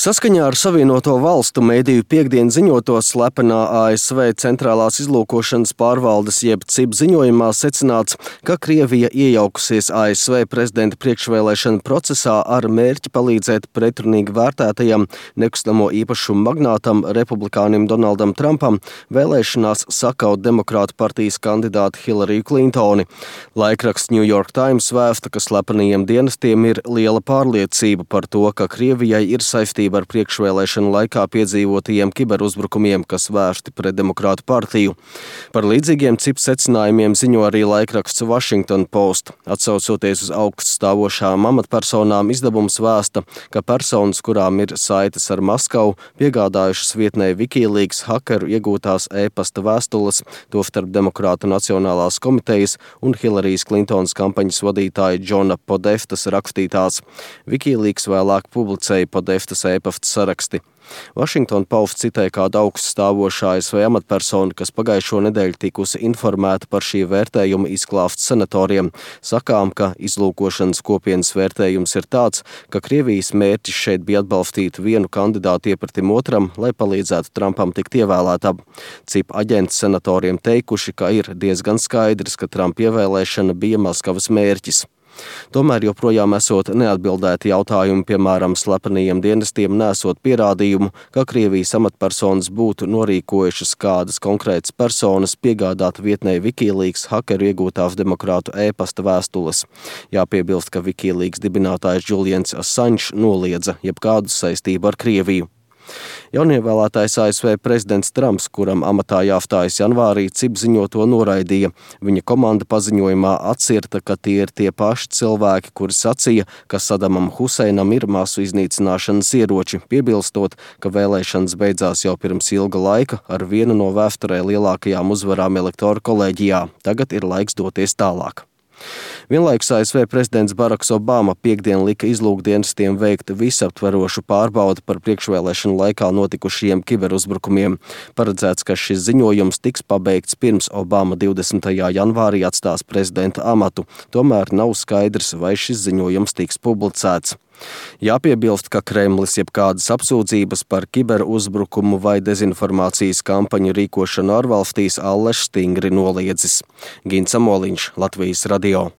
Saskaņā ar Savienoto Valstu mediju piektdien ziņoto slepenā ASV centrālās izlūkošanas pārvaldes jeb CIP ziņojumā secināts, ka Krievija iejaukusies ASV prezidenta priekšvēlēšana procesā ar mērķi palīdzēt pretrunīgi vērtētajam nekustamo īpašumu magnātam republikānim Donaldam Trumpam vēlēšanās sakaut demokrātu partijas kandidāti Hillary Clintoni. Laikraksts New York Times vēsta, ka slepenajiem dienestiem ir liela pārliecība par to, ka Krievijai ir saistība ar priekšvēlēšanu laikā piedzīvotajiem kiberuzbrukumiem, kas vērsti pret demokrātu partiju. Par līdzīgiem CIP secinājumiem ziņo arī laikraksts Washington Post. Atsaucoties uz augststāvošām amatpersonām, izdevums vēsta, ka personas, kurām ir saites ar Maskavu, piegādājušas vietnē Wikileaks hakeru iegūtās e-pasta vēstules, tostarp Demokrātu Nacionālās komitejas un Hillarijas Klintonas kampaņas vadītāja Džona Podeftas rakstītās. Wikileaks vēlāk publicēja Podeftas e-pasta saraksti. Washington Post citē kādu augststāvošā ASV amatpersonu, kas pagājušo nedēļu tikusi informēta par šī vērtējuma izklāstu senatoriem. Sakām, ka izlūkošanas kopienas vērtējums ir tāds, ka Krievijas mērķis šeit bija atbalstīt vienu kandidātu iepratim otram, lai palīdzētu Trumpam tikt ievēlētam. CIP aģenti senatoriem teikuši, ka ir diezgan skaidrs, ka Trumpa ievēlēšana bija Maskavas mērķis. Tomēr joprojām esot neatbildēti jautājumi, piemēram, slepenajiem dienestiem nesot pierādījumu, ka Krievijas amatpersonas būtu norīkojušas kādas konkrētas personas piegādāt vietnē Wikileaks hakeru iegūtās demokrātu e-pasta vēstules. Jāpiebilst, ka Wikileaks dibinātājs Julians Assange noliedza jebkādu saistību ar Krieviju. Jaunievēlētais ASV prezidents Trumps, kuram amatā jāstājas janvārī, CIP ziņoto noraidīja. Viņa komanda paziņojumā atcirta, ka tie ir tie paši cilvēki, kuri sacīja, ka Sadamam Huseinam ir masu iznīcināšanas ieroči, piebilstot, ka vēlēšanas beidzās jau pirms ilga laika ar vienu no vēsturē lielākajām uzvarām elektoru kolēģijā. Tagad ir laiks doties tālāk. Vienlaikus ASV prezidents Baraks Obama piektdien lika izlūkdienestiem veikt visaptverošu pārbaudi par priekšvēlēšanu laikā notikušajiem kiberuzbrukumiem. Paredzēts, ka šis ziņojums tiks pabeigts pirms Obama 20. janvārī atstās prezidenta amatu. Tomēr nav skaidrs, vai šis ziņojums tiks publicēts. Jāpiebilst, ka Kremlis jebkādas apsūdzības par kiberuzbrukumu vai dezinformācijas kampaņu rīkošanu ārvalstīs allaž stingri noliedzis. Gins Amoliņš, Latvijas radio.